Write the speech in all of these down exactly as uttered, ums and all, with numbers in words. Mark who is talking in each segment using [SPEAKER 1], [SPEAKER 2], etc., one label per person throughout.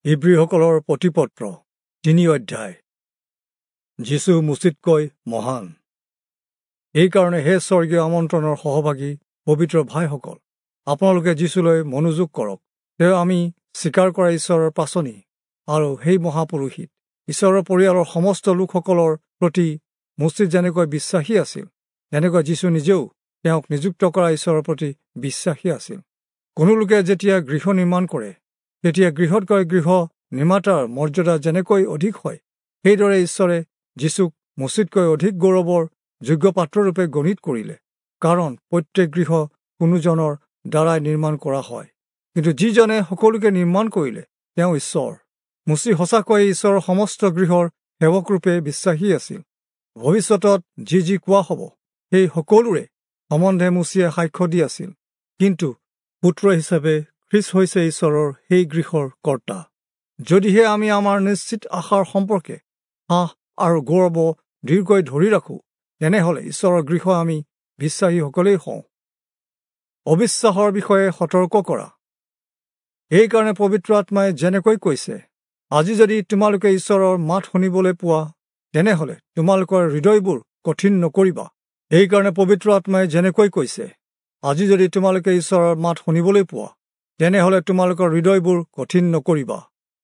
[SPEAKER 1] ইব্ৰীসকলৰ প্ৰতিপত্ৰ তিনি অধ্যায়। যীচু মোচিতকৈ মহান। এইকাৰণে হে স্বৰ্গীয় আমন্ত্ৰণৰ সহভাগী পবিত্ৰ ভাইসকল, আপোনালোকে যীচুলৈ মনোযোগ কৰক। তেওঁ আমি স্বীকাৰ কৰা ঈশ্বৰৰ পাচনি আৰু সেই মহাপুৰোহিত। ঈশ্বৰৰ পৰিয়ালৰ সমস্ত লোকসকলৰ প্ৰতি মোচি যেনেকৈ বিশ্বাসী আছিল, তেনেকৈ যীচু নিজেও তেওঁক নিযুক্ত কৰা ঈশ্বৰৰ প্ৰতি বিশ্বাসী আছিল। কোনো লোকে যেতিয়া গৃহ নিৰ্মাণ কৰে, তেতিয়া গৃহতকৈ গৃহ নিৰ্মাতাৰ মৰ্যাদা যেনেকৈ অধিক হয়, সেইদৰে ঈশ্বৰে যীচুক মোচিতকৈ অধিক গৌৰৱৰ যোগ্য পাত্ৰৰূপে গণিত কৰিলে। কাৰণ প্ৰত্যেক গৃহ কোনোজনৰ দ্বাৰাই নিৰ্মাণ কৰা হয়, কিন্তু যিজনে সকলোকে নিৰ্মাণ কৰিলে তেওঁ ঈশ্বৰ। মোচি সঁচাকৈয়ে ঈশ্বৰৰ সমস্ত গৃহৰ সেৱকৰূপে বিশ্বাসী আছিল। ভৱিষ্যতত যি যি কোৱা হ'ব সেই সকলোৰে সম্বন্ধে মোচিয়ে সাক্ষ্য দি আছিল। কিন্তু পুত্ৰ হিচাপে খ্ৰীষ্ট হৈছে ঈশ্বৰৰ সেই গৃহৰ কৰ্তা। যদিহে আমি আমাৰ নিশ্চিত আশাৰ সম্পৰ্কে সাহ আৰু গৌৰৱ দৃঢ়কৈ ধৰি ৰাখোঁ, তেনেহ'লে ঈশ্বৰৰ গৃহ আমি বিশ্বাসীসকলেই হওঁ। অবিশ্বাসৰ বিষয়ে সতৰ্ক কৰা। এইকাৰণে পবিত্ৰ আত্মাই যেনেকৈ কৈছে, আজি যদি তোমালোকে ঈশ্বৰৰ মাত শুনিবলৈ পোৱা, তেনেহ'লে তোমালোকৰ হৃদয়বোৰ কঠিন নকৰিবা। এইকাৰণে পবিত্ৰ আত্মাই যেনেকৈ কৈছে, আজি যদি তোমালোকে ঈশ্বৰৰ মাত শুনিবলৈ পোৱা, তেনেহ'লে তোমালোকৰ হৃদয়বোৰ কঠিন নকৰিবা,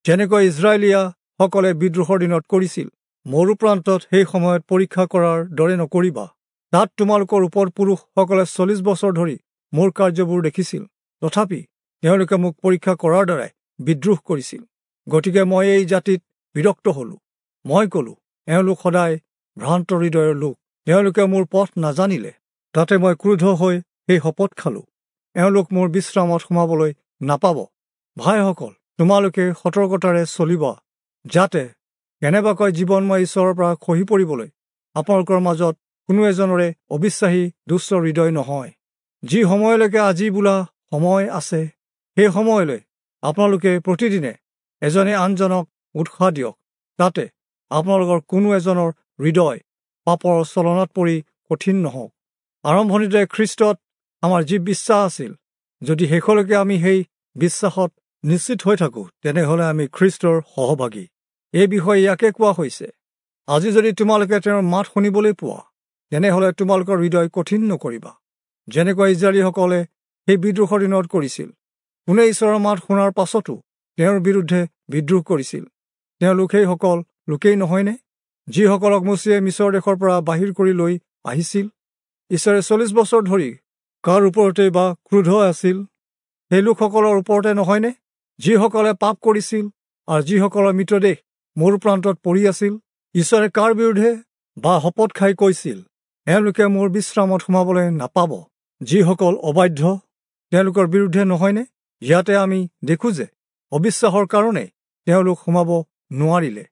[SPEAKER 1] যেনেকৈ ইজৰাইলীয়াসকলে বিদ্ৰোহৰ দিনত কৰিছিল, মৰুপ্ৰান্তত সেই সময়ত পৰীক্ষা কৰাৰ দৰে নকৰিবা। তাত তোমালোকৰ ওপৰ পুৰুষসকলে চল্লিছ বছৰ ধৰি মোৰ কাৰ্যবোৰ দেখিছিল, তথাপি তেওঁলোকে মোক পৰীক্ষা কৰাৰ দ্বাৰাই বিদ্ৰোহ কৰিছিল। গতিকে মই এই জাতিত বিৰক্ত হলোঁ। মই ক'লোঁ, এওঁলোক সদায় ভ্ৰান্ত হৃদয়ৰ লোক, তেওঁলোকে মোৰ পথ নাজানিলে। তাতে মই ক্ৰোধ হৈ সেই শপত খালোঁ, এওঁলোক মোৰ বিশ্ৰামত সোমাবলৈ নাপাব। ভাইসকল, তোমালোকে সতৰ্কতাৰে চলিবা, যাতে কেনেবাকৈ জীৱনময় ঈশ্বৰৰ পৰা খহি পৰিবলৈ আপোনালোকৰ মাজত কোনো এজনৰে অবিশ্বাসী দুষ্ট হৃদয় নহয়। যি সময়লৈকে আজি বোলা সময় আছে, সেই সময়লৈ আপোনালোকে প্ৰতিদিনে এজনে আনজনক উৎসাহ দিয়ক, তাতে আপোনালোকৰ কোনো এজনৰ হৃদয় পাপৰ চলনাত পৰি কঠিন নহওক। আৰম্ভণিতে খ্ৰীষ্টত আমাৰ যি বিশ্বাস আছিল, যদি শেষলৈকে আমি সেই বিশ্বাসত নিশ্চিত হৈ থাকোঁ, তেনেহ'লে আমি খ্ৰীষ্টৰ সহভাগী। এই বিষয়ে ইয়াকে কোৱা হৈছে, আজি যদি তোমালোকে তেওঁৰ মাত শুনিবলৈ পোৱা, তেনেহ'লে তোমালোকৰ হৃদয় কঠিন নকৰিবা, যেনেকৈ ইজৰাইলীসকলে সেই বিদ্ৰোহৰ দিনত কৰিছিল। কোনে ঈশ্বৰৰ মাত শুনাৰ পাছতো তেওঁৰ বিৰুদ্ধে বিদ্ৰোহ কৰিছিল, তেওঁলোক সেইসকল লোকেই নহয়নে, যিসকলক মোচিয়ে মিছৰ দেশৰ পৰা বাহিৰ কৰি লৈ আহিছিল? ঈশ্বৰে চল্লিছ বছৰ ধৰি কাৰ ওপৰতে বা ক্ৰোধ আছিল, সেই লোকসকলৰ ওপৰতে নহয়নে, যিসকলে পাপ কৰিছিল আৰু যিসকলৰ মৃতদেহ মৰুপ্ৰান্তত পৰি আছিল? ঈশ্বৰে কাৰ বিৰুদ্ধে বা শপত খাই কৈছিল, এওঁলোকে মোৰ বিশ্ৰামত সোমাবলৈ নাপাব, যিসকল অবাধ্য তেওঁলোকৰ বিৰুদ্ধে নহয়নে? ইয়াতে আমি দেখোঁ যে অবিশ্বাসৰ কাৰণে তেওঁলোক সোমাব নোৱাৰিলে।